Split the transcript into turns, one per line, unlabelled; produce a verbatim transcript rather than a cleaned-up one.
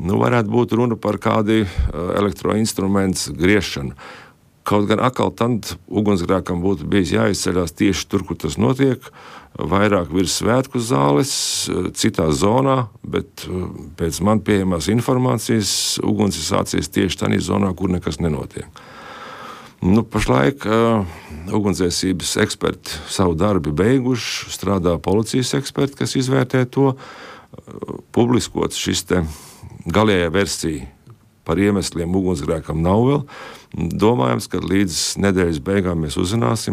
nu, varētu būt runa par kādu elektroinstrumentu griešanu. Kaut gan atkal tad ugunsgrēkam būtu bijis jāizceļās tieši tur, kur tas notiek, vairāk virs svētku zāles, citā zonā, bet pēc man pieejamās informācijas uguns ir sācies tieši tādā zonā, kur nekas nenotiek. Nu, pašlaik uh, ugunsdzēsības eksperti savu darbu beiguši, strādā policijas eksperti, kas izvērtē to, uh, publiskots šis te galējā versija par iemesliem ugunsgrēkam nav vēl. Domājams, ka līdz nedēļas beigām mēs uzzināsim,